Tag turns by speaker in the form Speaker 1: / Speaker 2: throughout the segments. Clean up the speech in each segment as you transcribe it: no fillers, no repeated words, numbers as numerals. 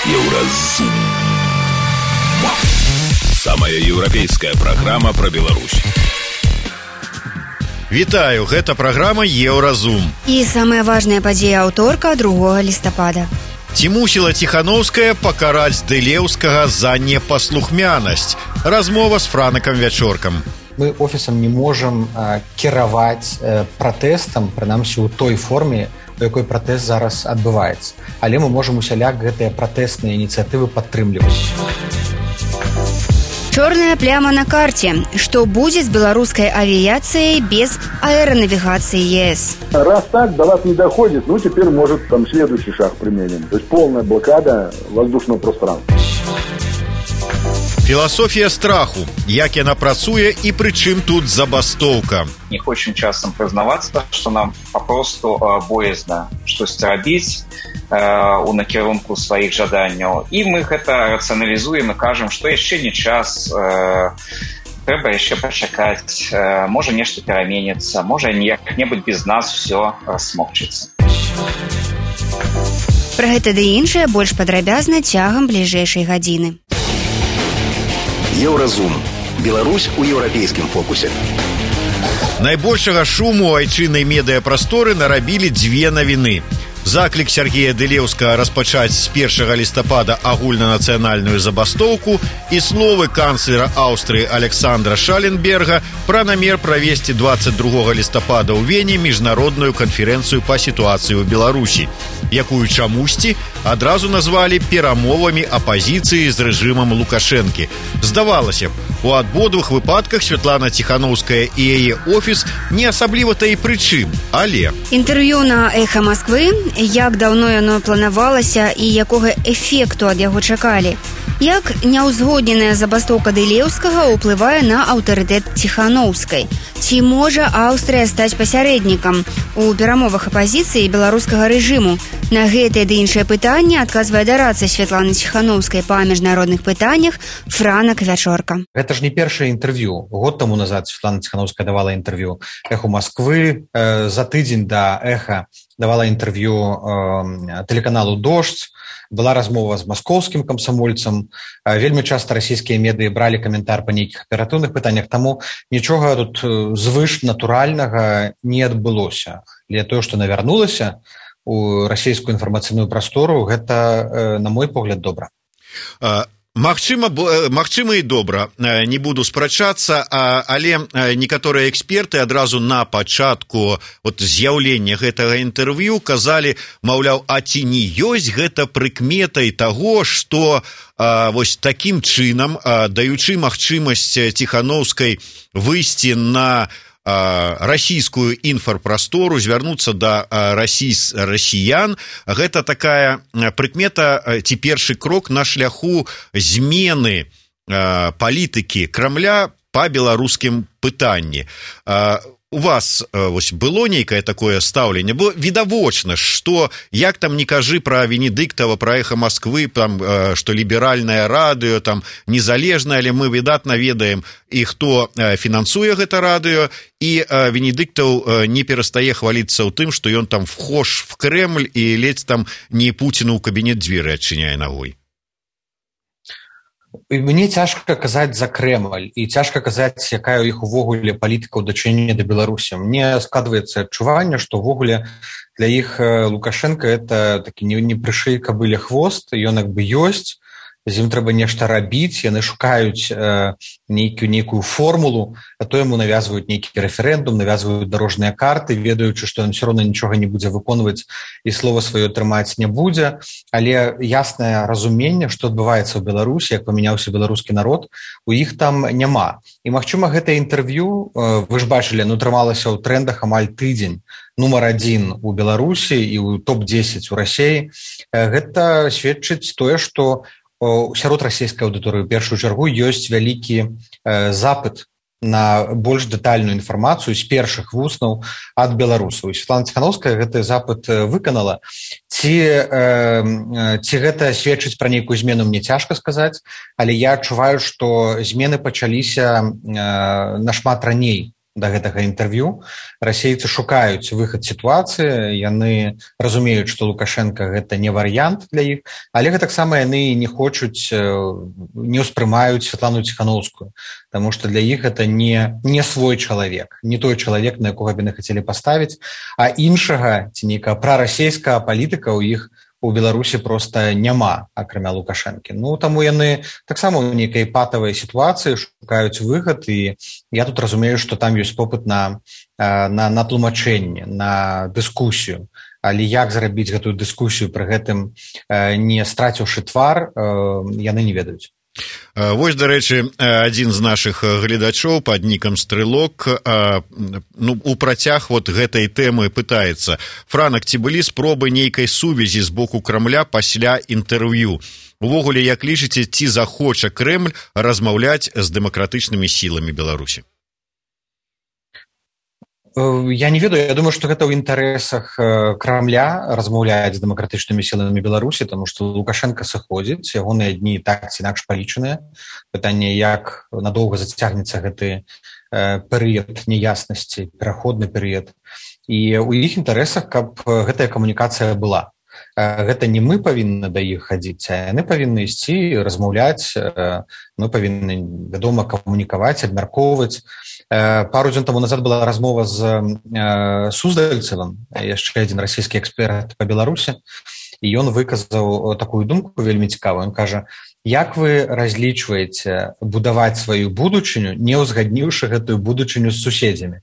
Speaker 1: Еўразум. Самая еўрапейская праграма пра Беларусь.
Speaker 2: Вітаю, гэта праграма Еўразум.
Speaker 3: І самая важная падзея аўторка 2 лістапада.
Speaker 2: Ці мусіла Ціханаўская пакараць Дылеўскага за непаслухмянасць? Размова з Франакам Вячоркам.
Speaker 4: Мы офісам не можам кіраваць пратэстам, прынамсі ў той форме, у якой пратэст зараз адбываецца. Але мы можам усяляк гэтыя пратэстныя ініцыятывы падтрымліваць.
Speaker 3: Чорная пляма на карце. Што будзе з беларускай авіяцыяй без аэронавігацыі ЕС?
Speaker 5: Раз так до вас не доходит, теперь, может, там следующий шаг применим. То есть полная блокада воздушного пространства.
Speaker 2: Філасофія страху. Як яна працуе і пры чым тут забастоўка?
Speaker 6: Не хочам часам прызнавацца, што нам папросту боязна штосьці рабіць у накірунку сваіх жаданняў. І мы гэта рацыяналізуем і кажам, што яшчэ не час, трэба яшчэ пачакаць, можа нешта пераменіцца, можа як-небудзь без нас все смокчыцца.
Speaker 3: Пра гэта ды іншае больш падрабязна цягам бліжэйшай гадзіны.
Speaker 1: Еўразум. Беларусь у еўрапейскім фокусе.
Speaker 2: Найбольшага шуму у айчыннай медыяпрасторы нарабілі дзве навіны. Заклік Сергея Дылеўскага распачаць з 1 лістапада агульнанацыянальную забастоўку і словы канцлера Аўстрыі Александра Шаленберга пра намер правесці 22 лістапада ў Вене міжнародную канферэнцыю па сітуацыі ў Беларусі, якую чамусьці адразу назвалі перамовамі апазіцыі з рэжымам Лукашэнкі. Здавалася б, у абодвух выпадках Святлана Ціханаўская і яе офіс не асабліва-то і прычым, але...
Speaker 3: Інтэрв'ю на Эхо Москвы, як даўно яно планавалася і якога эфекту ад яго чакалі. Як няўзгодненая забастоўка Дылеўскага ўплывае на аўтарытэт Ціханаўскай? Ці можа Аўстрыя стаць пасярэднікам у перамовах апазіцыі беларускага рэжыму? На гэтыя ды іншыя пытанні адказвае дараца Святланы Ціханаўскай па міжнародных пытаннях Франак Вячорка.
Speaker 4: Гэта ж не першае інтэрв'ю. Год таму назад Святлана Ціханаўская давала інтэрв'ю Эху Москвы, за тыдзень да Эха давала інтэрв'ю тэлеканалу «Дождь», была размова з маскоўскім камсамольцам, вельмі часта расійскія медыі бралі каментар па нейкіх аператыўных пытаннях, таму нічога тут звыш натуральнага не адбылося. Але тое, што навярнулася у расійскую інфармацыйную прастору, гэта, на мой погляд, добра.
Speaker 2: Магчыма і добра, не буду спрачацца, але некаторыя эксперты адразу на пачатку з'яўлення гэтага інтэрв'ю казалі, маўляў, а ці не ёсць гэта прыкметай таго, што вось такім чынам, даючы магчымасць Ціханаўскай выйсці на расійскую інфарпрастору, звярнуцца да расіян. Гэта такая прыкмета ці першы крок на шляху змены палітыкі Крамля па беларускім пытанні. У вас было нейкае такое стаўленне? Бо відавочна, што, як там не кажы пра Венедыктава, пра Эхо Москвы, што ліберальнае радыё, незалежнае, але мы выдатна ведаем і хто фінансуе гэта радыё, і Венедыктаў не перастае хваліцца ў тым, што ён там вхож в Кремль і ледзь там не Пуціну ў кабінет дзверы адчыняе нагой.
Speaker 4: Мне цяжка казаць за Крэмль і цяжка казаць, якая ў іх увогуле палітыка ў дачыненні да Беларусі. Мне складваецца адчуванне, што ўвогуле для іх Лукашенко это такі не прышый кабыле хвост, ён як бы ёсць, з ім трэба нешта рабіць, яны шукаюць нейкую формулу, а то яму навязваюць нейкі рэферэндум, навязваюць дарожныя карты, ведаючы, што ён все роўна нічога не будзе выконваць і слова сваё трымаць не будзе, але яснае разуменне, што адбываецца ў Беларусі, як памяняўся беларускі народ, у іх там няма. І, магчыма, гэтае інтэрв'ю, вы ж бачылі, трымалася ў трэндах амаль тыдзень, нумар 1 у Беларусі і ў топ-10 у Расіі. Гэта сведчыць тое, што сярод расійскай аўдыторыі ў першую чаргу ёсць вялікі запыт на больш дэтальную інфармацыю з першых вуснаў ад беларусаў. Святлана Ціханаўская гэты запыт выканала. Ці гэта сведчыць пра нейкую змену, мне цяжка сказаць, але я адчуваю, што змены пачаліся нашмат раней, да гэтага інтэрв'ю. Расейцы шукаюць выхад сітуацыі, яны разумеюць, што Лукашенко гэта не варыянт для іх, але гэтаксама яны не хочуць, не ўспрымаюць Святлану Ціхановскую, таму што для іх гэта не свой чалавек, не той чалавек, на якога б яны хацелі паставіць, а іншага ці нейкага прарасейскага палітыка ў іх у Беларусі проста няма, акрамя Лукашэнкі. Ну, таму яны таксама ў нейкай патавай сітуацыі шукаюць выхад, і я тут разумею, што там ёсць попыт на тлумачэнне, на дыскусію. Але як зрабіць гэтую дыскусію, пры гэтым не страціўшы твар, яны не ведаюць.
Speaker 2: Вось, дарэчы, адзін з нашых гледачоў пад нікам Стрэлок у працяг вот гэтай тэмы пытаецца: Франак, ці былі спробы нейкай сувязі з боку Крамля пасля інтэрв'ю? Увогуле, як лічыце, ці захоча Крэмль размаўляць з дэмакратычнымі сіламі Беларусі?
Speaker 4: Я не ведаю, я думаю, што гэта ў інтарэсах Крамля размаўляць з дэмакратычнымі сіламі Беларусі, таму што Лукашенко сыходзіць, ягоныя дні так ці інакш палічаныя. Пытанне, як надоўга зацягнецца гэты перыяд няяснасці, пераходны перыяд. І ў іх інтарэсах, каб гэтая камунікацыя была. Гэта не мы павінны да іх хадзіць, а яны павінны ісці, размаўляць, мы павінны, вядома, камунікаваць, абмяркоўваць. Пару дзён таму назад была размова з Суздальцевым, яшчэ адзін расійскі эксперт па Беларусі, і ён выказаў такую думку вельмі цікавую. Ён кажа: як вы разлічваеце будаваць сваю будучыню, не ўзгадніўшы гэтую будучыню з суседзямі?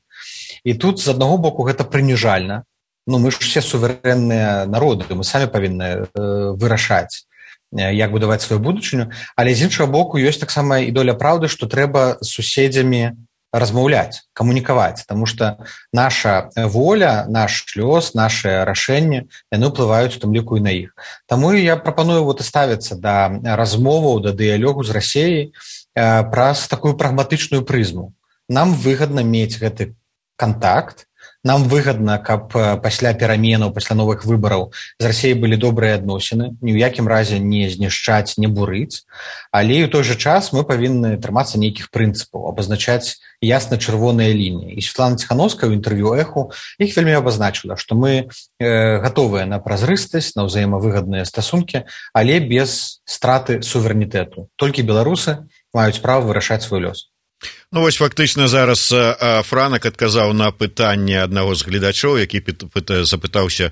Speaker 4: І тут, з аднаго боку, гэта прыніжальна. Ну, мы ж все суверэнныя народы, мы самі павінны вырашаць, як будаваць сваю будучыню, але з іншага боку ёсць таксама і доля праўды, што трэба з суседзямі размаўляць, камунікаваць, таму што наша воля, наш лёс, наши рашэнні, яны ўплываюць у тым ліку і на іх. Таму я прапаную вот ставіцца да размоваў, да дыялогу з Расіяй праз такую прагматычную прызму. Нам выгадна мець гэты кантакт, нам выгадна, каб пасля пераменаў, пасля новых выбараў з Расіяй былі добрыя адносіны, ні ў якім разе не знішчаць, не бурыць, але і ў той жа час мы павінны трымацца нейкіх прынцыпаў, абазначаць ясна чырвоныя лініі. І Святлана Ціхановская ў інтэрв'ю «Эху» іх вельмі абазначыла, што мы гатовыя на празрыстасць, на ўзаемавыгадныя стасункі, але без страты суверэнітэту. Толькі беларусы маюць права вырашаць свой лёс.
Speaker 2: Ну, вось фактычна зараз Франак адказаў на пытанне аднаго з гледачоў, які запытаўся,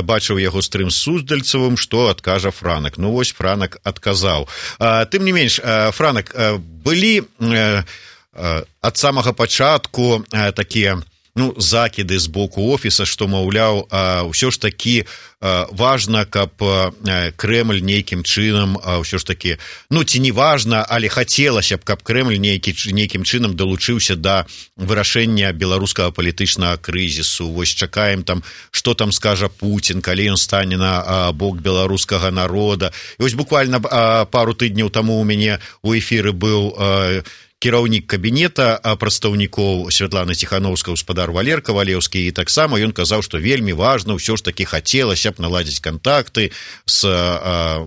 Speaker 2: бачыў яго стрым з Суздальцевым, што адкажа Франак. Ну, вось Франак адказаў. Тым не менш, Франак, былі ад самага пачатку такія закіды з боку офіса, што, маўляў, ўсё ж такі важна, каб Крэмль нейкім чынам, ўсё ж такі, ці не важна, але хацелася б, каб Крэмль нейкім чынам далучыўся да вырашэння беларускага палітычнага крызісу. Вось чакаем там, што там скажа Пуцін, калі ён стане на бок беларускага народа. І вось буквально пару тыдняў таму у мяне ў эфіры быў кіраўнік кабінета прадстаўнікоў Святланы Ціхановскай, гаспадар Валер Кавалеўскі, і таксама ён казаў, што вельмі важна, ўсё ж такі хацелася б наладзіць кантакты з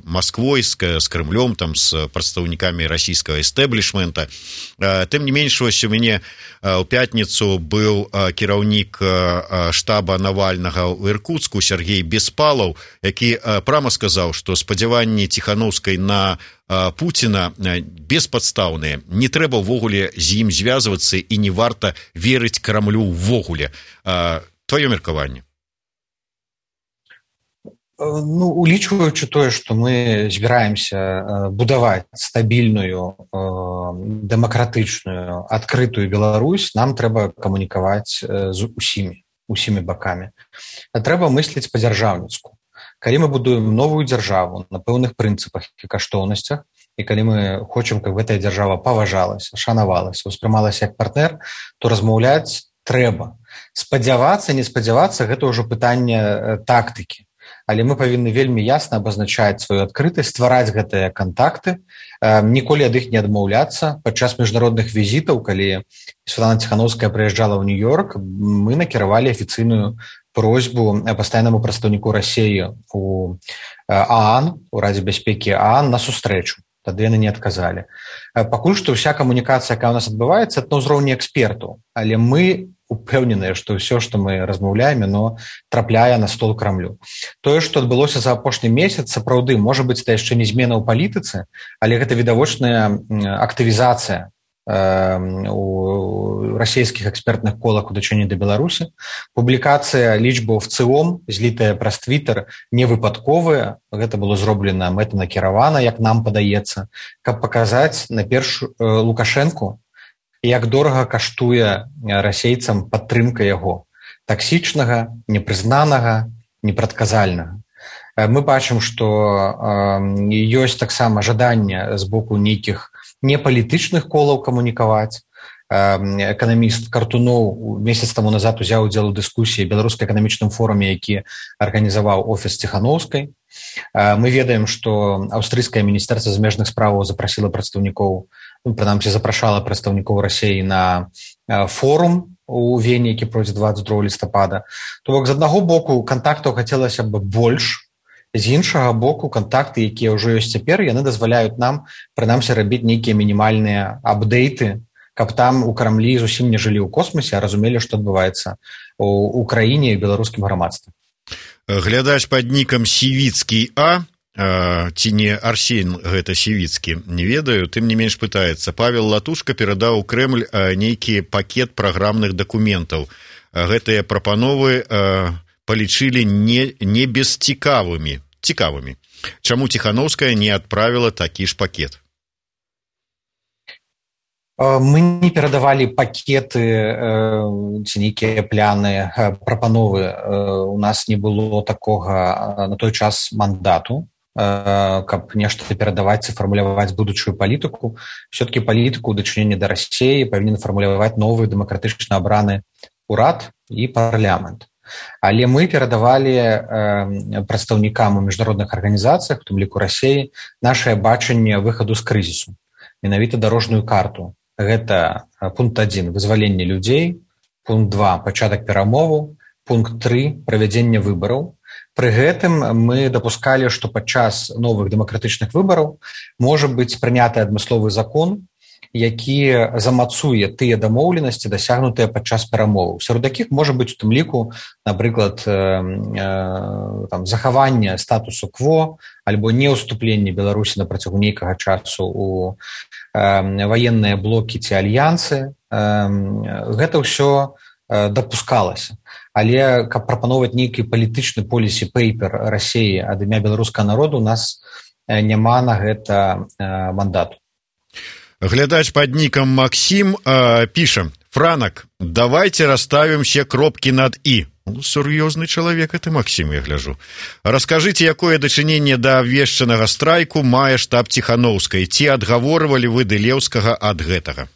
Speaker 2: Масквой, з Крымлём, там, з прадстаўнікамі расійскага эстэблішмента. Тым не менш, вось у мяне ў пятніцу быў кіраўнік штаба Навальнага ў Іркуцку Сергей Беспалаў, які прама сказаў, што спадзяванні Ціхановскай на Пуціна беспадстаўныя. Не трэба ўвогуле з ім звязвацца і не варта верыць Крамлю ўвогуле. Тваё меркаванне?
Speaker 4: Улічваючы тое, што мы збіраемся будаваць стабільную, дэмакратычную, адкрытую Беларусь, нам трэба камунікаваць з усімі бакамі. Трэба мысліць па-дзяржаўніцку. Калі мы будуем новую дзяржаву на пэўных прынцыпах і каштоўнасцях, і калі мы хочам, каб гэтая дзяржава паважалася, шанавалася, успрымалася як партнер, то размаўляць трэба. Спадзявацца, не спадзявацца, гэта ўжо пытанне тактыкі. Але мы павінны вельмі ясна абазначаць сваю адкрытасць, ствараць гэтыя кантакты, ніколі ад іх не адмаўляцца. Падчас міжнародных візітаў, калі Святлана Ціхановская прыязджала ў Нью-Йорк, мы накіравалі афіцыйную просьбу пастаяннаму прадстаўніку Расіі у ААН, у Радзе бяспекі ААН, на сустрэчу. тады яны не адказалі. Пакуль што ўся камунікацыя, якая ў нас адбываецца, на ўзроўні экспертаў, але мы упэўненыя, што ўсё, што мы размаўляем, яно трапляе на стол Крамлю. Тое, што адбылося за апошні месяц, сапраўды, можа быць, это яшчэ не змена ў палітыцы, але гэта відавочная актывізацыя у расійскіх экспертных колах у дачыненні да Беларусі. Публікацыя лічбаў ВЦИОМ, злітая праз Твиттер, не выпадковая. Гэта было зроблена мэтанакіравана, як нам падаецца, каб паказаць на першую Лукашэнку, як дорага каштуе расейцам падтрымка яго, таксічнага, непрызнанага, непрадказальнага. Мы бачым, што ёсць таксама жаданне з боку нейкіх непалітычных колаў камунікаваць. Эканаміст Картуноў месяц таму назад узяў удзел у дыскусіі беларуска-эканамічным форуме, які арганізаваў офіс Ціханаўскай. Мы ведаем, што аўстрыйскае міністэрства замежных справаў запрасіла прадстаўнікоў, прынамсі запрашала прадстаўнікоў Расіі на форум у Вене, які пройдзе 22 лістапада. То бок, з аднаго боку, кантактаў хацелася б больш, з іншага боку, кантакты, якія ўжо ёсць цяпер, яны дазваляюць нам, прынамсі, рабіць нейкія мінімальныя апдейты, каб там у Крамлі зусім не жылі ў космосе, а разумелі, што адбываецца ў краіне і ў беларускім грамадстве.
Speaker 2: Глядач пад нікам Сівіцкі А, ці не Арсень гэта Сівіцкі, не ведаю, тым не менш пытаецца. Павел Латушка перадаў у Крэмль нейкі пакет праграмных дакументаў. Гэтыя прапановы палічылі не бесцікавымі. Чаму Ціханаўская не адправіла такі ж пакет?
Speaker 4: Мы не перадавалі пакеты ці нейкія пляны, прапановы. У нас не было такога на той час мандату, каб нешта перадаваць і фармуляваць будучую палітыку. Все-таки палітыку ў дачыненні да Расіі павінен фармуляваць новы дэмакратычна абраны урад і парламент. Але мы перадавалі прадстаўнікам у міжнародных арганізацыях, у тым ліку Расіі, нашае бачанне выхаду з крызісу, менавіта дарожную карту. Гэта пункт 1 вызваленне людзей, пункт 2 пачатак перамоваў, пункт 3 правядзенне выбараў. Пры гэтым мы дапускалі, што падчас новых дэмакратычных выбараў можа быць прыняты адмысловы закон, які замацуе тыя дамоўленасці, дасягнутыя падчас перамоваў. Сярод якіх можа быць у тым ліку, напрыклад, захаванне статусу кво альбо неўступленне Беларусі на працягу нейкага часу у ваенныя блокі ці альянсы. Гэта ўсё дапускалася. Але каб прапановаць нейкі палітычны полісі пейпер Расіі ад імя беларускага народу, у нас няма на гэта мандату.
Speaker 2: Глядач пад нікам Максим піша: Франак, давайте расставим все кропки над «и». Сур'ёзны чалавек это Максим, я гляжу. Раскажыце, якое дачыненне да абвешчанага страйку мае штаб Ціханаўскай? Ці адгаворвалі вы Дылеўскага ад гэтага?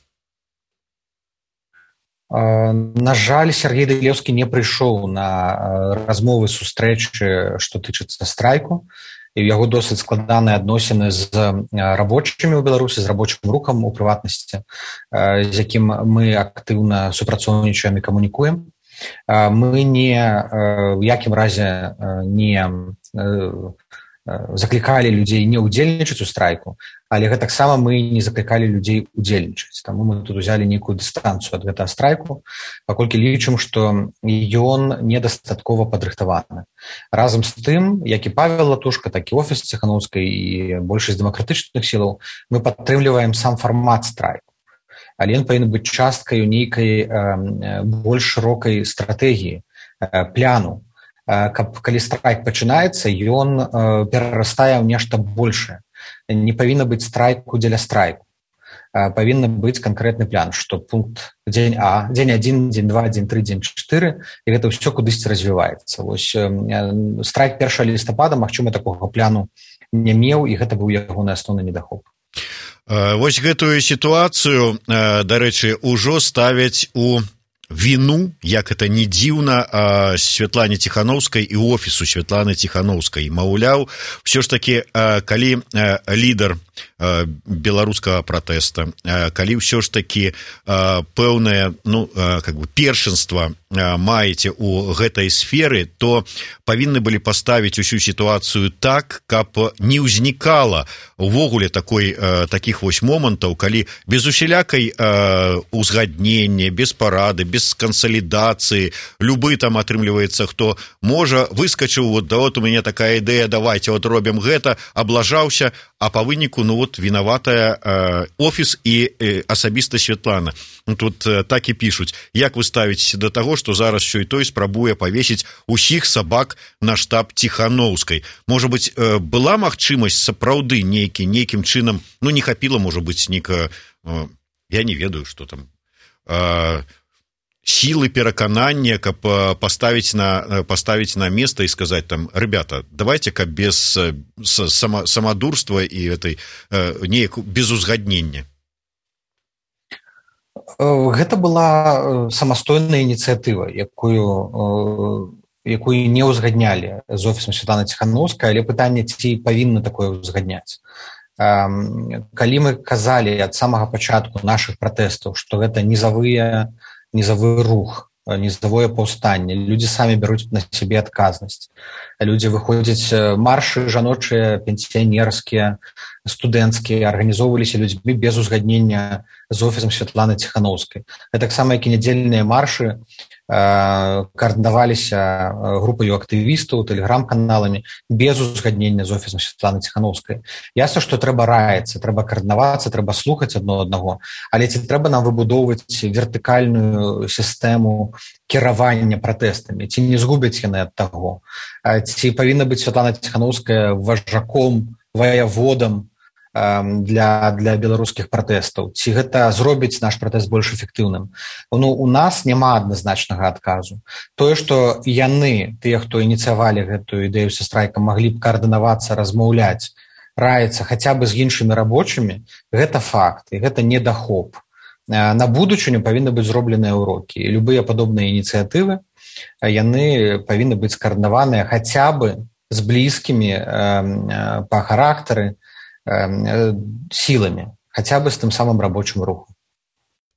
Speaker 4: На жаль, Сергей Дылеўскі не прыйшоў на размовы, сустрэчы, што тычыцца страйку. І ў яго досыць складаныя адносіны з рабочымі ў Беларусі, з рабочым рухам у прыватнасці, з якім мы актыўна супрацоўнічаем і камунікуем. Мы не ў якім разе не заклікалі людзей не ўдзельнічаць у страйку, але гэтаксама мы не заклікалі людзей удзельнічаць. Таму мы тут узялі нейкую дыстанцыю ад гэтага страйку, паколькі лічым, што ён недастаткова падрыхтаваны. Разам з тым, як і Павел Латушка, так і офіс Ціханаўскай і большасць дэмакратычных сілаў, мы падтрымліваем сам фармат страйку. Але ён павінен быць часткай нейкай больш шырокай стратэгіі, пляну. Каб калі страйк пачынаецца, ён перарастае ў нешта большае. Не павінна быць страйку дзеля страйку. Павінна быць канкрэтны план, што пункт дзень А, дзень 1, дзень 2, дзень 3, дзень 4, і гэта ўсё кудысьці развіваецца. Вось страйк 1 лістапада, магчыма, такога пляну не меў, і гэта быў ягоны асноўны недахоп.
Speaker 2: Вось гэтую сітуацыю, дарэчы, ужо ставяць у віну, як это не дзіўна, Святлане Ціханаўскай і офісу Святланы Ціханаўскай. Маўляў, ўсё ж такі, калі лідар беларускага пратэста, калі ўсё ж такі пэўнае першынства маеце у гэтай сферы, то павінны былі паставіць усю сітуацыю так, каб не ўзнікала увогуле такіх вось момантаў, калі без усялякай узгаднення, без парады, без кансалідацыі, любы там атрымліваецца, хто можа, выскачыў, вот у мяне такая ідэя, давайте вот робім гэта, аблажаўся, а па выніку, вінаватая офіс і асабіста Святлана. Тут так і пішуць, як вы ставіцеся да таго, што зараз що і той спрабуе павесіць усіх сабак на штаб Ціханаўскай. Можа быць, была магчымасць сапраўды нейкім чынам, не хапіла, можа быць, я не ведаю, што там, сілы пераканання, каб паставіць на место і сказаць там, ребята, давайте каб без самадурства і неяк без узгаднення.
Speaker 4: Гэта была самастойная ініцыятыва, якую не ўзгаднялі з офісам Святланы Ціханаўскай, але пытанне, ці павінны такое ўзгадняць. Калі мы казалі ад самага пачатку нашых пратэстаў, што гэта нізавы рух, нізавое паўстанне, людзі самі бяруць на сябе адказнасць. Людзі выходзяць, маршы жаночыя, пенсіянерскія, студэнцкія, арганізоўваліся людзьмі без узгаднення з офісам Святланы Ціханаўскай. Таксама, як і нядзельныя маршы, каардынаваліся групаю актывістаў, тэлеграм-каналамі без узгаднення з офісам Святланы Ціханаўскай. Ясна, што трэба раіцца, трэба каардынавацца, трэба слухаць адно аднаго, але ці трэба нам выбудоўваць вертыкальную сістэму кіравання пратэстамі, ці не згубяць яны ад таго, ці павінна быць Святлана Ціханаўская важаком, ваяводам для беларускіх пратэстаў, ці гэта зробіць наш пратэст больш эфектыўным. У нас няма адназначнага адказу. Тое, што яны, тыя, хто ініцыявалі гэтую ідэю са страйкам, маглі б каардынавацца, размаўляць, раіцца хаця бы з іншымі рабочымі, гэта факт, і гэта недахоп. На будучыню павінны быць зробленыя ўрокі. І любыя падобныя ініцыятывы, яны павінны быць скаардынаваныя хаця бы з блізкімі па характары сіламі, хаця бы з тым самым рабочым рухам.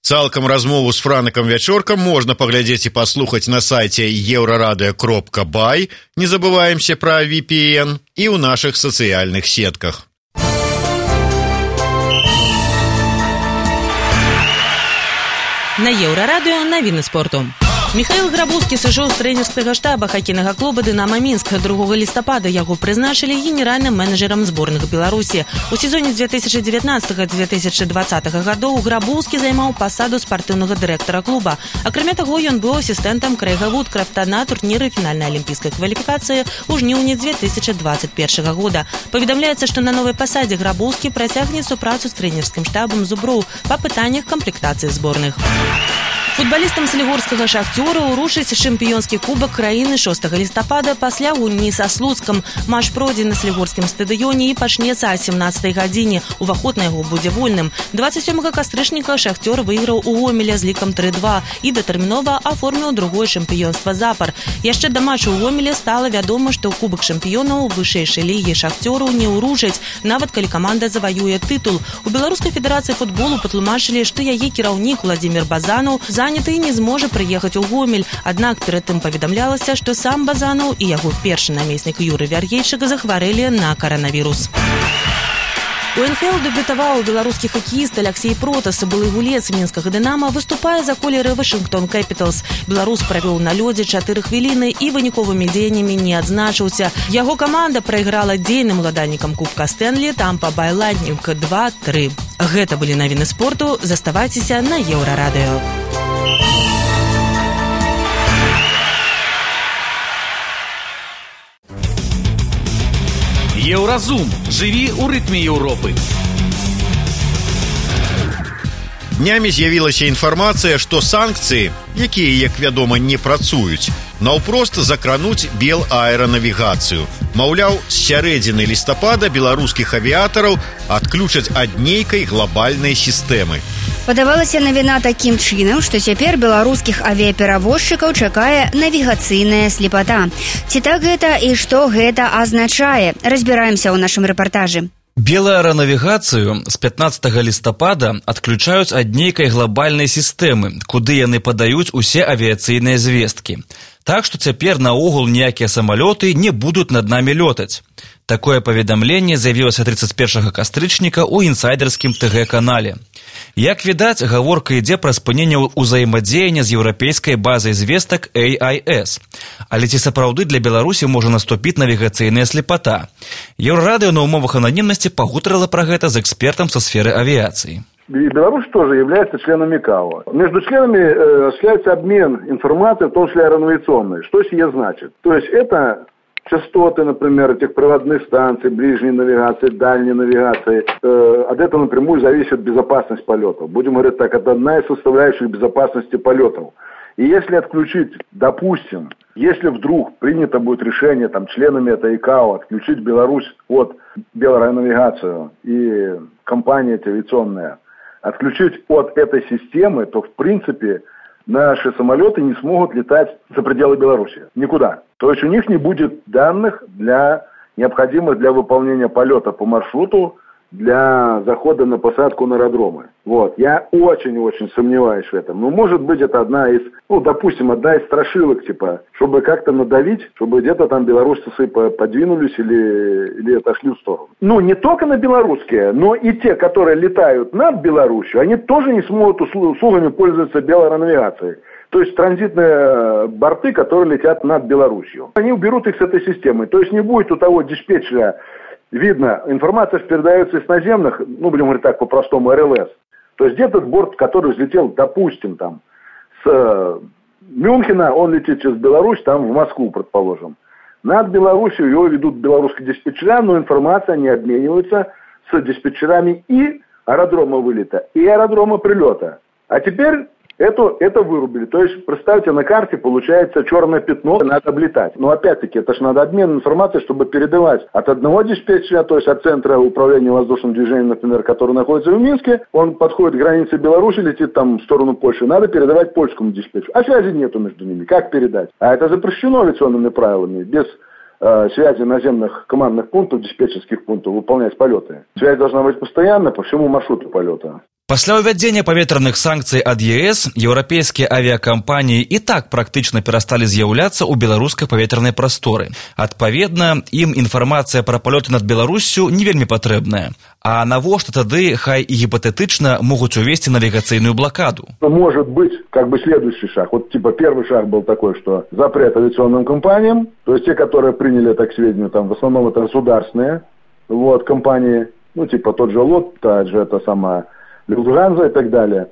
Speaker 2: Цалкам размову з Франыкам Вячоркам можна паглядзець і паслухаць на сайце euradio.by. Не забываемся пра VPN і ў нашых сацыяльных сетках.
Speaker 7: На Еўрарадыё навіны спорту. Михаил Грабовскі сышоў з трэнерскага штаба хакейнага клуба «Дынамо Мінск». 2 лістапада яго прызначылі генеральным менеджерам зборных Беларусі. У сезоне 2019-2020 гадоў Грабовскі займаў пасаду спартыўнага дырэктара клуба. Акрамя таго, ён быў асістэнтам Крэйга Вудкрафта на турніры фінальнай алімпійскай кваліфікацыі ў жніўні 2021 года. Паведамляецца, што на новай пасадзе Грабовскі працягне супрацу з трэнерскім штабам зуброў па пытаннях камплектацыі зборных. Футбалістам салігорскага «Шахцёра» ўручыць чэмпіёнскі кубак краіны 6 лістапада пасля гульні са Слуцкам. Матч пройдзе на салігорскім стадыёне і пачнецца о 17 гадзіне. Уваход на яго будзе вольным. 27 кастрычніка «Шахцёр» выйграў у Гомеля з лікам 3-2 і датэрмінова аформіў другое чэмпіёнства запар. Яшчэ да матчу ў Гомеле стала вядома, што кубак чэмпіёнаў вышэйшай лігі «Шахцёру» не ўручаць, нават калі каманда заваюе тытул. У Беларускай федэрацыі футболу патлумачылі, што яе кіраўнік Владзімір Базанаў заняты і не зможа прыехаць у Гомель. Аднак перад тым паведамлялася, што сам Базанаў і яго першы намеснік Юрый Вяргейчык захварэлі на каранавірус. У НХЛ дэбютаваў беларускі хакеіст Аляксей Протас, былы гулец мінскага «Дынамо», выступае за колеры Вашингтон Кэпіталс. Беларус правёў на лёдзе 4 хвіліны і выніковымі дзеяннямі не адзначыўся. Яго каманда прайграла дзейным уладальнікам Кубка Стэнлі Тампа Бай Лайтнінг 2-3. Гэта былі навіны спорту. Заставайцеся на Еўрарадыё.
Speaker 1: Еўразум. Жыві ў рытме Еўропы.
Speaker 2: Днямі з'явілася інфармацыя, што санкцыі, якія, як вядома, не працуюць, наўпрост закрануць белаэранавігацыю. Маўляў, з сярэдзіны лістапада беларускіх авіятараў адключаць ад нейкай глобальнай сістэмы.
Speaker 3: Падавалася навіна такім чынам, што цяпер беларускіх авіяперавозчыкаў чакае навігацыйная слепата. Ці так гэта і што гэта азначае? Разбіраемся ў нашым рэпартажы.
Speaker 1: Белааэранавігацыю з 15 лістапада адключаюць ад нейкай глобальнай сістэмы, куды яны падаюць усе авіяцыйныя звесткі. Так што цяпер наогул ніякія самалёты не будуць над намі лётаць. Такое паведамленне з'явілася 31 кастрычніка ў інсайдерскім ТГ-канале. Як відаць, гаворка ідзе пра спыненне ўзаемадзеяння з еўрапейскай базай звестак AIS. Але ці сапраўды для Беларусі можа наступіць навігацыйная слепата? Еўрарадыё на умовах ананімнасці пагутарыла пра гэта з экспертам са сферы авіяцыі.
Speaker 5: И Беларусь тоже является членом ИКАО. Между членами осуществляется обмен информацией, в том числе аэронавигационной. Что сие значит? То есть это частоты, например, этих проводных станций, ближней навигации, дальней навигации. От этого напрямую зависит безопасность полетов. Будем говорить так, это одна из составляющих безопасности полетов. И если отключить, допустим, если вдруг принято будет решение там, членами этой ИКАО отключить Беларусь от Беларусь-навигацию и компания авиационная, отключить от этой системы, то в принципе наши самолеты не смогут летать за пределы Беларуси. Никуда. То есть у них не будет данных необходимых для выполнения полета по маршруту, для захода на посадку на аэродромы. Вот. Я очень-очень сомневаюсь в этом. Но может быть это одна из, допустим, одна из страшилок, типа, чтобы как-то надавить, чтобы где-то там белорусцы подвинулись или отошли в сторону. Не только на белорусские, но и те, которые летают над Беларусью, они тоже не смогут услугами пользоваться белоаэронавигацией. То есть транзитные борты, которые летят над Беларусью. Они уберут их с этой системы. То есть не будет у того диспетчера. Видно, информация передается из наземных, будем говорить так, по-простому, РЛС. То есть где-то борт, который взлетел, допустим, там, с Мюнхена, он летит через Беларусь, там, в Москву, предположим. Над Беларусью его ведут белорусские диспетчера, но информация не обменивается с диспетчерами и аэродрома вылета, и аэродрома прилета. А теперь это вырубили. То есть, представьте, на карте получается черное пятно, надо облетать. Но опять-таки, это же надо обмен информацией, чтобы передавать от одного диспетчера, то есть от центра управления воздушным движением, например, который находится в Минске, он подходит к границе Беларуси, летит там в сторону Польши, надо передавать польскому диспетчеру. А связи нету между ними. Как передать? А это запрещено авиационными правилами. Без связи наземных командных пунктов, диспетчерских пунктов выполнять полеты. Связь должна быть постоянно по всему маршруту полета.
Speaker 1: Пасля ўвядзення паветраных санкцый ад ЕС еўрапейскія авіякампаніі і так практычна перасталі з'яўляцца ў беларускай паветранай прасторы. Адпаведна, ім інфармацыя пра палёты над Беларуссю не вельмі патрэбная. А навошта тады, хай і гіпатэтычна, могуць увесці навігацыйную блокаду?
Speaker 5: Может быть, следующий шаг. Первый шаг был такой, что запрет авиационным компаниям, то есть те, которые приняли это к сведению, там в основном это государственные компании, тот же ЛОТ, та же это самая Люфтганза и так далее.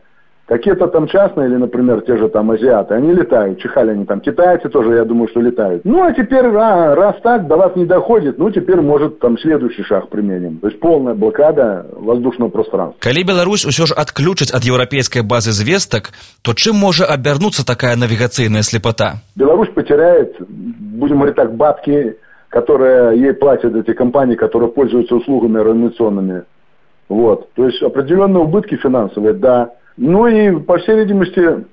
Speaker 5: Какие-то там частные, или, например, те же там азиаты, они летают, чихали они там, китайцы тоже, я думаю, что летают. А теперь, раз так, до вас не доходит, теперь, может, там следующий шаг применим. То есть полная блокада воздушного пространства.
Speaker 1: Калі Беларусь усё ж адключыць ад еўрапейскай базы звестак, то чым можа абярнуцца такая навігацыйная слепота?
Speaker 5: Беларусь потеряет, будем говорить так, бабки, которые ей платят эти компании, которые пользуются услугами аэронавигационными. То есть определенные убытки финансовые, да. И, по всей видимости,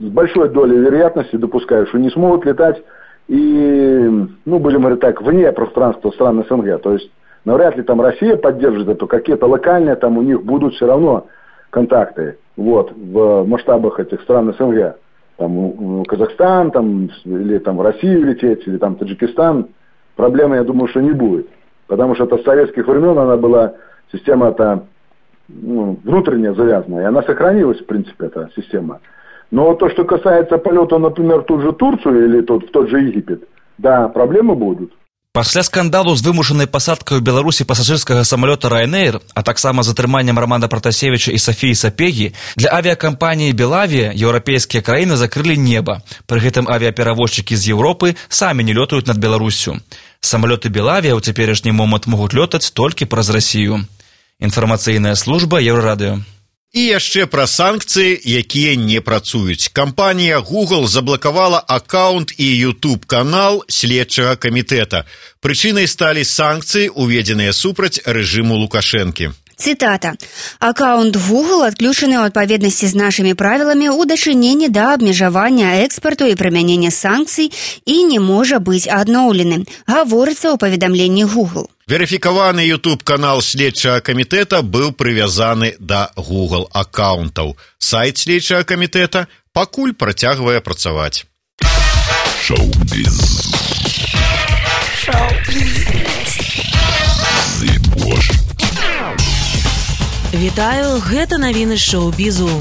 Speaker 5: с большой долей вероятности допускаю, что не смогут летать и, будем говорить так, вне пространства стран СНГ. То есть навряд ли там Россия поддержит это, какие-то локальные там у них будут все равно контакты, в масштабах этих стран СНГ. Там Казахстан, там, или там в Россию лететь, или там Таджикистан. Проблемы, я думаю, что не будет. Потому что это с советских времен она была... Система-то внутренне завязанная, и она сохранилась, в принципе, эта система. Но то, что касается полета, например, в ту же Турцию или в тот же Египет, да, проблемы будут.
Speaker 1: Пасля скандалу з вымушанай пасадкай у Беларусі пасажырскага самалёта Ryanair, а таксама з атрыманнем Романа Пратасевіча і Сафіі Сапегі, для авіякампаніі Белавія еўрапейскія краіны закрылі неба. Пры гэтым авіаперавозчыкі з Еўропы самі не лётаюць над Беларуссю. Самалёты Белавія ў цяперашні момант могуць лётаць толькі праз Расію. Інфармацыйная служба Еўрарадыё.
Speaker 2: І яшчэ пра санкцыі, якія не працуюць. Кампанія Google заблакавала аккаунт і YouTube-канал следчага камітэта. Прычынай сталі санкцыі, уведзеныя супраць рэжыму Лукашэнкі.
Speaker 3: Цитата. «Аккаунт Google отключены ў адпаведнасці з нашымі правіламі ў дачыненні да абмежавання экспарту і прымянення санкцый і не можа быць адноўлены», гаворыцца ў паведамленні Google.
Speaker 2: Верыфікаваны YouTube-канал следчага камітэта быў прывязаны да Google аккаунтаў. Сайт следчага камітэта пакуль працягвае працаваць.
Speaker 8: Шоу-біз.
Speaker 7: Вітаю, гэта навіны шоу-бізу.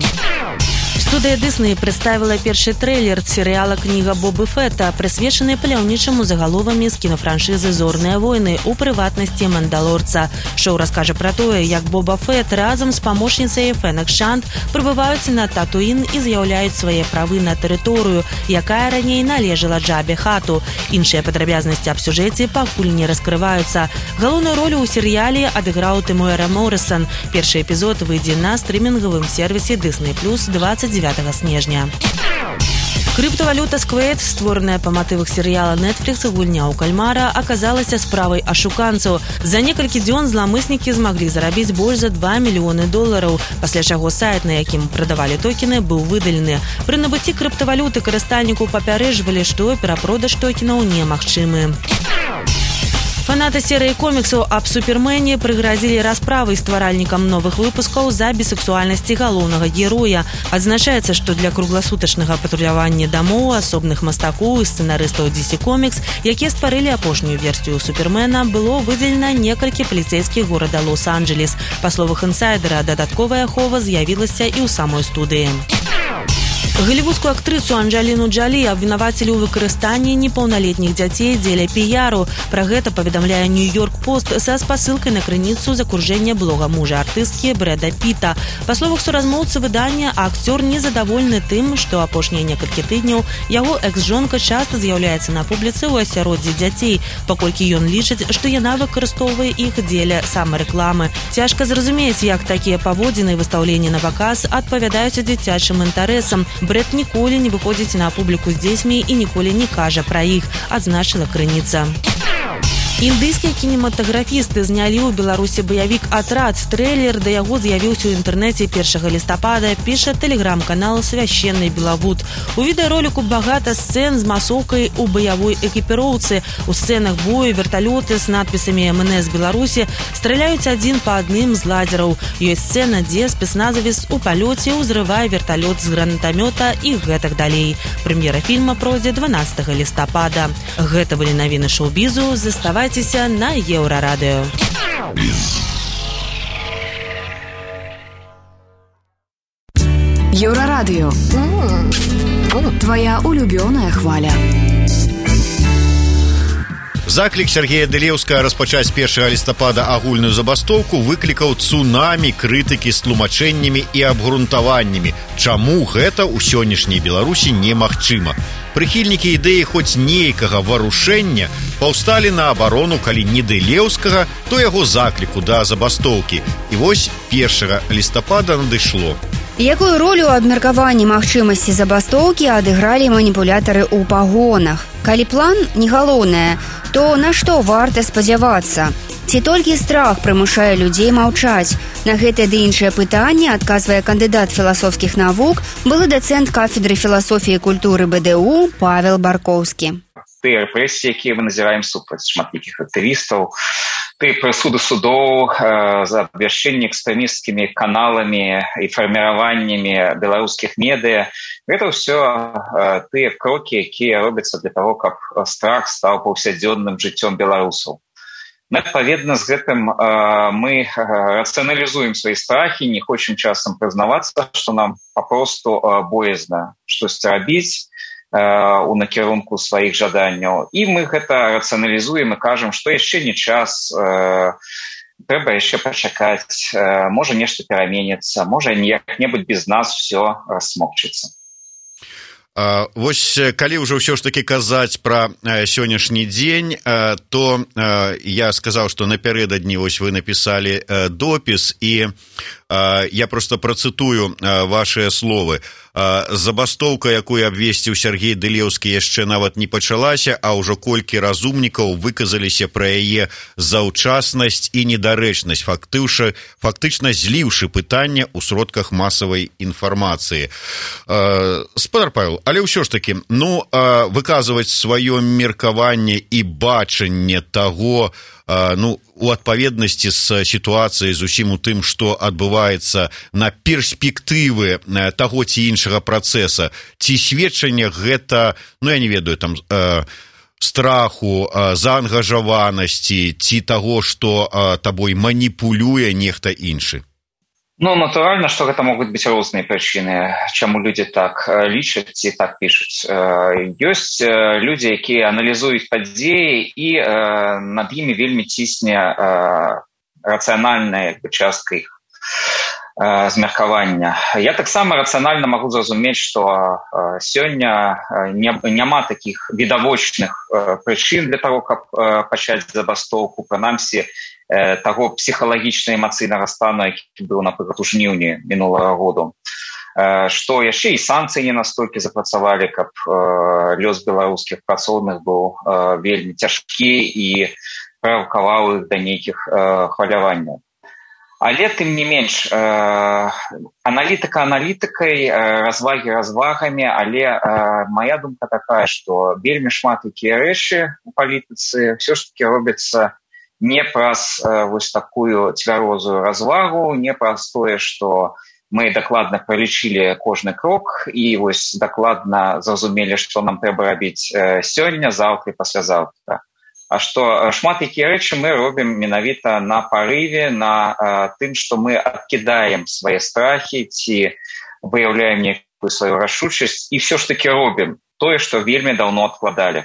Speaker 7: Студыя Дысней прадставіла першы трэйлер серыяла «Кніга Бобы Фетта», прысвечаны паляўнічаму загаловамі з кінафраншызы «Зорныя войны», у прыватнасці «Мандалорца». Шоу раскажа пра тое, як Боба Фетт разам з памочніцай Фенек Шант прыбываюць на Татуін і з'яўляюць свае правы на тэрыторыю, якая раней належала Джабе Хату. Іншыя падрабязнасці аб сюжэце пакуль не раскрываюцца. Галоўную ролю ў серыяле адыграў Тэмуэра Моррисон. Першы эпізод выйдзе на стрымінгавым сервісе Disney+ 29 снежня. Крыптавалюта Squid, створаная па матывах серыяла Netflix «Гульня ў кальмара», аказалася справай ашуканцаў. За некалькі дзён зламыснікі змаглі зарабіць больш за $2 мільёны, пасля чаго сайт, на якім прадавалі токены, быў выдалены. Пры набыцці крыптавалюты карыстальніку папярэджвалі, што перапродаж токенаў немагчымы. Фанаты серыі коміксаў аб Супермене прыгразілі расправай стваральнікам новых выпускаў за бісексуальнасці галоўнага героя. Адзначаецца, што для кругласутачнага патрулявання дамоў асобных мастакоў і сцэнарыстаў DC Comics, якія стварылі апошнюю версію Супермена, было выдзелена некалькі паліцэйскіх горада Лос-Анджелес. Па словах інсайдера, дадатковая ахова з'явілася і ў самой студыі. Голливудскую актрысу Анджеліну Джолі абвінавацілі ў выкарыстанні непаўналетніх дзяцей дзеля піяру. Пра гэта паведамляе Нью-Йорк Пост са спасылкай на крыніцу з акружэння блога мужа артысткі Брэда Піта. Па словах суразмоўцы выдання, акцёр незадаволены тым, што апошнія некалькі тыдняў яго экс-жонка часта з'яўляецца на публіцы ў асяроддзі дзяцей, паколькі ён лічыць, што яна выкарыстоўвае іх дзеля самарэкламы. Цяжка зразумець, як такія паводзіны і выстаўленні на паказ адпавядаюць дзіцячым інтарэсам. Брэд ніколі не выходзіць на публіку з дзецьмі і ніколі не кажа пра іх, адзначыла крыніца. Індыйскія кінематаграфісты знялі ў Беларусі баявік «Атрад». Трэйлер да яго з'явіўся ў інтэрнэце 1 лістапада, піша тэлеграм-канал «Священный Белавуд». У відэароліку багата сцэн з масоўкай у баявой экіпіроўцы. У сцэнах бою верталёты з надпісамі «МНС Беларусі» страляюць адзін па адным з ладзераў. Ёсць сцэна, дзе спецназавец у палёце ўзрывае верталёт з гранатамёта і гэтак далей. Прэм'ера фільма пройдзе 12 лістапада. Гэта былі навіны шоу-бізу. Заставайцеся на Еўрарадыё.
Speaker 9: Еўрарадыё. Твоя улюбёная хваля.
Speaker 2: Заклік Сергея Дылеўскага распачаць 1 лістапада агульную забастоўку выклікаў цунамі крытыкі з тлумачэннямі і абгрунтаваннямі, чаму гэта ў сённяшняй Беларусі немагчыма. Прыхільнікі ідэі хоць нейкага варушэння паўсталі на абарону, калі не Дылеўскага, то яго закліку да забастоўкі. І вось 1 лістапада надышло.
Speaker 3: Якую ролю ў абмеркаванні магчымасці забастоўкі адыгралі маніпулятары ў пагонах? Калі план не галоўнае, то на што варта спадзявацца? Ці толькі страх прымушае людзей маўчаць? На гэтае ды іншае пытанне адказвае кандыдат філасофскіх навук, былы дацэнт кафедры філасофіі і культуры БДУ Павел Баркоўскі.
Speaker 6: Тыя рэпрэсіі, якія мы назіраем супраць шматлікіх актывістаў, тыя прысуды судоў за абвяшчэнне экстрэмісцкімі каналамі і фарміраваннямі беларускіх медыя, гэта ўсё тыя крокі, якія робяцца для таго, каб страх стаў паўсядзённым жыццём беларусаў. Адпаведна, з гэтым мы рацыяналізуем свае страхі, не хочам часам прызнавацца, што нам папросту боязна штосьці рабіць у накірунку сваіх жаданняў. І мы гэта рацыяналізуем і кажам, што яшчэ не час, трэба яшчэ пачакаць, можа нешта пераменіцца, можа як-небудзь без нас все рассмокчыцца.
Speaker 2: Вось калі ўжо ўсё ж такі казаць пра сённяшні дзень, то я сказаў, што напярэдадні вось вы напісалі допіс, і я проста працытую вашыя словы. забастоўка, якую абвесціў Сергей Дылеўскі, яшчэ нават не пачалася, а ўжо колькі разумнікаў выказаліся пра яе заўчаснасць і недарэчнасць, фактычна зліўшы пытанне ў сродках масавай інфармацыі. Спадар Павел, але ўсё ж такі, выказваць сваё меркаванне і бачанне таго, у адпаведнасці з сітуацыяй, з усім у тым, што адбываецца на перспектывы таго ці іншага працэса, ці сведчанне гэта, я не ведаю, там, страху, заангажаванасці, ці таго, што табой маніпулюе нехта іншы?
Speaker 6: Натуральна, што гэта могуць быць розныя прычыны, чаму людзі так лічаць ці так пішуць. Ёсць людзі, якія аналізуюць падзеі, і над імі вельмі цісне рацыянальная частка іх змеркавання. Я таксама рацыянальна магу зразумець, што сёння няма такіх відавочных прычын для таго, каб пачаць забастоўку, прынамсі, таго псіхалагічна-эмацыйнага стану, які быў, напрыклад, у жніўні мінулага году. Што яшчэ і санкцыі не настолькі запрацавалі, каб лёс беларускіх працоўных быў вельмі цяжкі і правакаваў іх да нейкіх хваляванняў. Але, тым не менш, аналітыка аналітыкай, развагі развагамі, але моя думка такая, што вельмі шмат якія рэчы у палітыцы ўсё ж такі робяцца не праз вось такую цвярозую развагу, не праз тое, што мы дакладна пралічылі кожны крок і вось дакладна зразумелі, што нам трэба рабіць сёння, заўтра і паслязаўтра. А што шмат якія рэчы мы робім менавіта на парыве, на тым, што мы адкідаем свае страхі ці выяўляем некую сваю рашучасць і ўсё ж такі робім тое, што вельмі даўно адкладалі.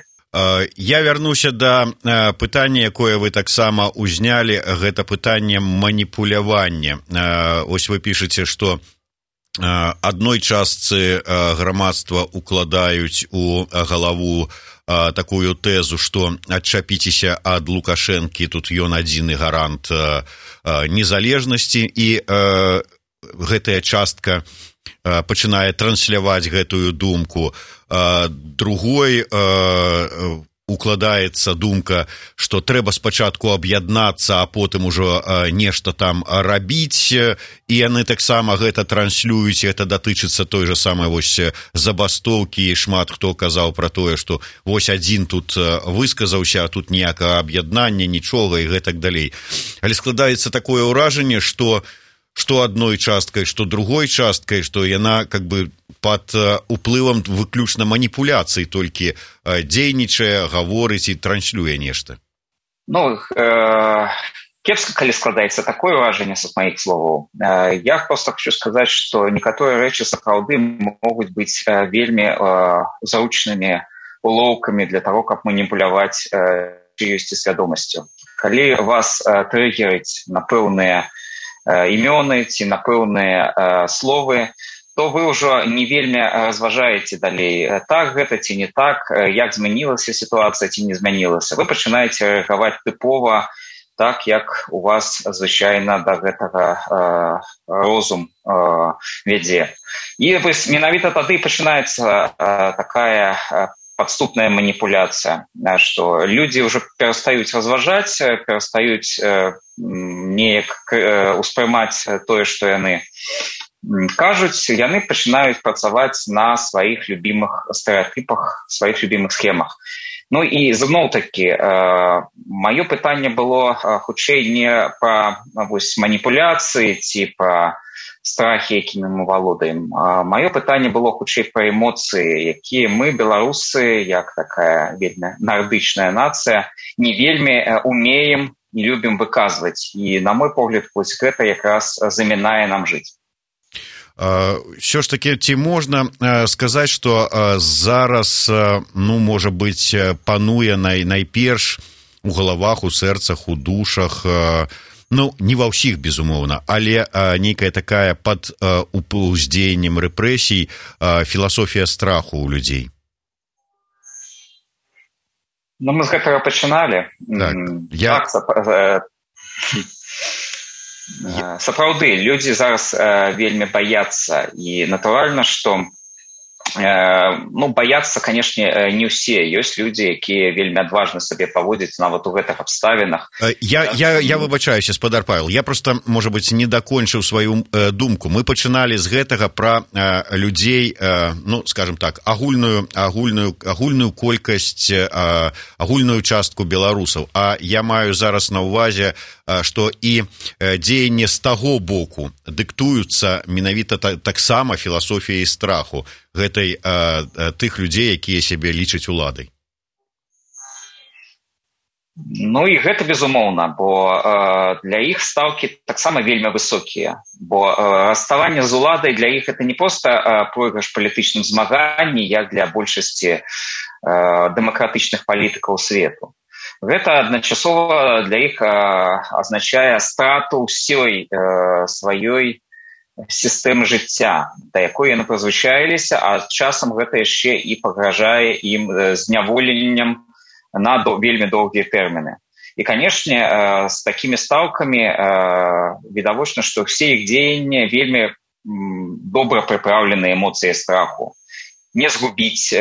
Speaker 2: Я вярнуся да пытання, якое вы таксама ўзнялі, гэта пытанне маніпулявання. Ось вы пішаце, што адной частцы грамадства укладаюць у галаву такую тэзу, што адчапіцеся ад Лукашэнкі, тут ён адзіны гарант незалежнасці, і гэтая частка пачынае трансляваць гэтую думку. Другой укладаецца думка, што трэба спачатку аб'яднацца, а потым ужо нешта там рабіць, і яны таксама гэта транслююць, гэта датычыцца той же самай вось забастоўкі, і шмат хто казаў пра тое, што вось адзін тут высказаўся, а тут ніякага аб'яднання, нічога і гэтак далей. Але складаецца такое ўражанне, што адной часткай, што другой часткай, што яна как бы пад уплывам выключна маніпуляцый толькі дзейнічае, гаворыць і транслюе нешта.
Speaker 6: Кепска, калі складаецца такое ўражанне са маіх словаў. Я проста хочу сказаць, што некаторыя рэчы сапраўды могуць быць вельмі зручнымі улоўкамі для таго, каб маніпуляваць чыёсьці свядомасцю. Калі вас трыгерыць на пэўныя імёны ці на пэўныя словы, то вы ўжо не вельмі разважаеце далей, так гэта ці не так, як змянілася сітуацыя ці не змянілася. Вы пачынаеце рэагаваць тыпова так, як у вас звычайна да гэтага розум вядзе. І вось менавіта тады пачынаецца такая падступная маніпуляцыя, што людзі ўжо перастаюць разважаць, перастаюць неяк успрымаць тое, што яны кажуць, яны пачынаюць працаваць на сваіх любімых стэрэатыпах, сваіх любімых схемах. І зноў-такі, маё пытанне было хутчэй не пра маніпуляцыі ці пра страхі, якімі мы валодаем. Маё пытанне было хутчэй пра эмоцыі, якія мы, беларусы, як такая вельмі нардычная нацыя, не вельмі умеем і любім выказваць. І, на мой погляд, вось гэта якраз замінае нам жыць.
Speaker 2: Все ж таки, ці можна сказаць, што зараз, можа быць, пануе найперш у галавах, у сэрцах, у душах, не ва ўсіх, безумоўна, але нейкая такая пад уздзеяннем рэпрэсій філасофія страху ў людзей?
Speaker 6: Мы з гэтага пачыналі. Сапраўды, людзі зараз вельмі баяцца, і натуральна, што Баяцца, канешне, не ўсе. Ёсць людзі, якія вельмі адважна сабе паводзяць нават у гэтых абставінах.
Speaker 2: Я выбачаюся, спадар Павел. Я просто, можа быць, не дакончыў сваю думку. Мы пачыналі з гэтага пра людзей, скажем так, агульную колькасць, агульную частку беларусаў. А я маю зараз на ўвазе, што і дзеянне з таго боку дыктуюцца менавіта таксама філасофіяй страху гэтай тых людзей, якія сябе лічаць уладай.
Speaker 6: І гэта безумоўна, бо для іх стаўкі таксама вельмі высокія, бо расставанне з уладай для іх это не проста пройгрыш палітычным змаганні, як для большасці дэмакратычных палітыкаў свету. Гэта адначасова для іх азначае страту ўсёй сваёй сістэмы жыцця, да якой яны прызвычаіліся, а часам гэта яшчэ і пагражае ім зняволеннем на вельмі доўгія тэрміны. І, канешне, з такімі стаўкамі відавочна, што ўсе іх дзеянні вельмі добра прыпраўлены эмоцыяй страху. Не згубіць,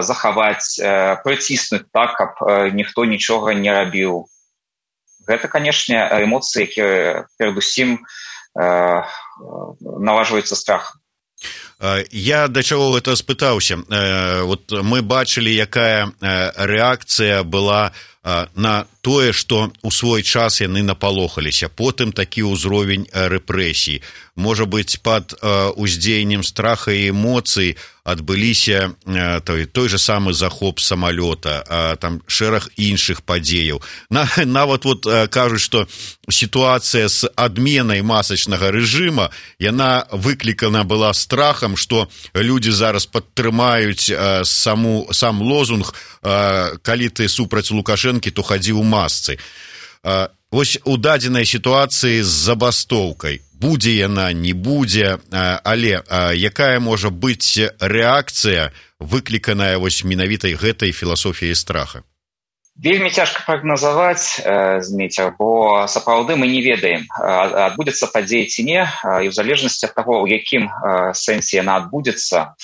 Speaker 6: захаваць, прыціснуць так, каб ніхто нічога не рабіў. Гэта, канешне, эмоцыі, якія перадусім наважваюцца страхам.
Speaker 2: Я да чаго гэта спытаўся. Мы бачылі, якая рэакцыя была на тое, што ў свой час яны напалохаліся. Потым такі ўзровень рэпрэсій. Можа быць, пад уздзеяннем страха і эмоцый адбыліся той же самы захоп самалёта, там шэраг іншых падзеяў. Нават кажуць, што сітуацыя з адменай масачнага рэжыма, яна выклікана была страхам, што людзі зараз падтрымаюць сам лозунг «Калі ты супраць Лукашэнкі, то хадзі ў масцы». Вось у дадзенай сітуацыі з забастоўкай, будзе яна, не будзе, але якая можа быць рэакцыя, выкліканая вось менавітай гэтай філасофіяй страха?
Speaker 6: Вельмі цяжка прагназаваць, Зміцер, бо сапраўды мы не ведаем, адбудзецца падзея ці не, і ў залежнасці ад таго, у якім сэнсе яна адбудзецца,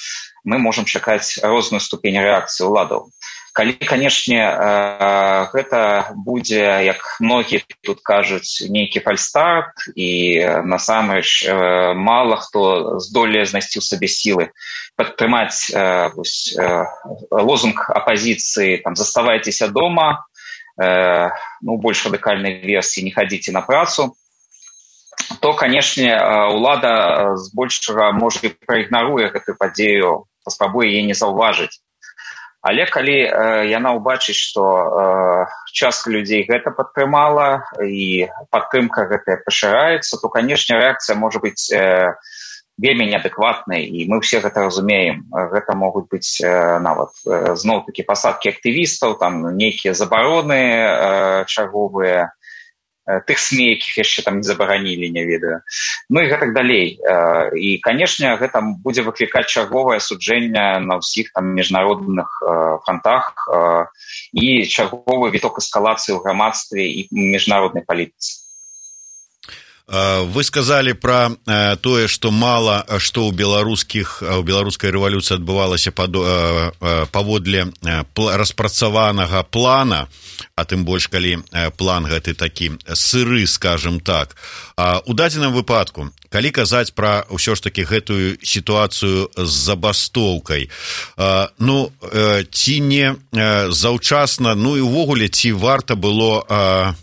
Speaker 6: мы можам чакаць розную ступень рэакцыі ўладаў. Калі, канешне, гэта будзе, як многія тут кажуць, нейкі фальстарт, і насамрэч мала хто здолее знайсці ў сабе сілы падтрымаць лозунг апазіцыі, заставайцеся дома, больш радыкальнай версіі, не хадзіце на працу, то, канешне, ўлада збольшага можа і праігнаруе гэтую падзею, паспрабуе яе не заўважыць. Але калі яна ўбачыць, што частка людзей гэта падтрымала і падтрымка гэтая пашыраецца, то, канешне, рэакцыя можа быць вельмі неадэкватнай, і мы ўсе гэта разумеем. Гэта могуць быць нават зноў-такі пасадкі актывістаў, нейкія забароны чарговыя, тых СМІ, якіх яшчэ не забаранілі, не ведаю. І гэтак далей. І, канешне, гэта будзе выклікаць чарговае суджэнне на ўсіх міжнародных фронтах і чарговы віток эскалацыі ў грамадстве і міжнароднай палітыцы.
Speaker 2: Вы сказалі пра тое, што мала што ў беларускай рэвалюцыі адбывалася паводле распрацаванага плана, а тым больш, калі план гэты такі сыры, скажем так. У дадзеным выпадку, калі казаць пра ўсё ж такі гэтую сітуацыю з забастоўкай, ці не заўчасна, і ўвогуле, ці варта было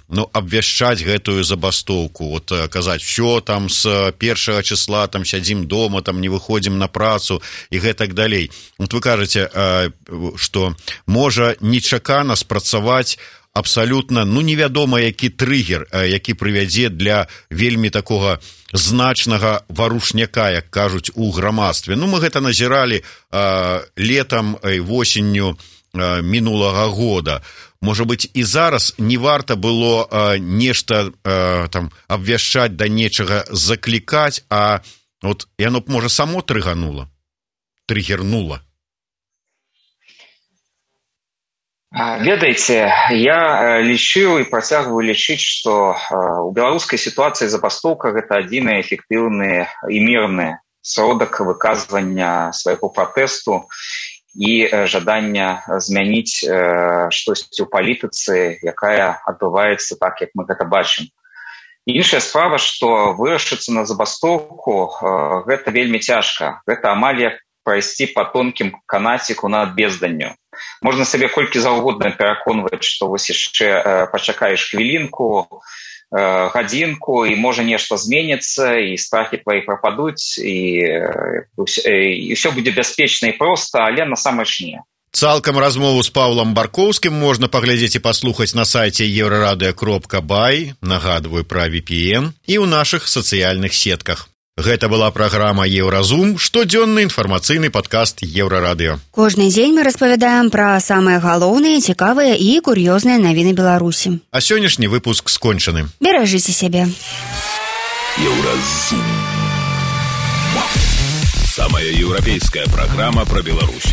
Speaker 2: абвяшчаць гэтую забастоўку, казаць, все, з 1 числа сядзім дома, не выходзім на працу і гэтак далей. Вы кажаце, што можа нечакана спрацаваць абсалютна, невядома, які трыгер, які прывядзе для вельмі такога значнага варушняка, як кажуць, у грамадстве. Мы гэта назіралі летам і восенню мінулага года. Можа быць, і зараз не варта было нешта абвяшчаць, да нечага заклікаць, а яно б, можа, само трыгернула.
Speaker 6: Ведаеце, я лічыў і працягваю лічыць, што ў беларускай сітуацыі забастоўка гэта адзіны эфектыўны і мірны сродак выказвання свайго пратэсту і жадання змяніць штосьці ў палітыцы, якая адбываецца так, як мы гэта бачым. Іншая справа, што вырашыцца на забастоўку, гэта вельмі цяжка. Гэта амаль як прайсці па тонкім канаціку над безданню. Можна сабе колькі заўгодна пераконваць, што вось яшчэ пачакаеш хвілінку, гадзінку, і можа нешта зменіцца, і страхі твои прападуць, і ўсё будзе бяспечна і проста, але насамрэч не.
Speaker 2: Цалкам размову з Паўлам Баркоўскім можна паглядзець і паслухаць на сайце еврорадыо.бай, нагадваю пра VPN, і ў нашых сацыяльных сетках. Гэта была праграма «Еўразум», штодзённы інфармацыйны падкаст Еўрарадыё.
Speaker 3: Кожны дзень мы распавядаем пра самыя галоўныя, цікавыя і кур'ёзныя навіны Беларусі.
Speaker 2: А сённяшні выпуск скончаны.
Speaker 3: Беражыце сябе.
Speaker 8: Еўразум. Самая еўрапейская праграма пра Беларусь.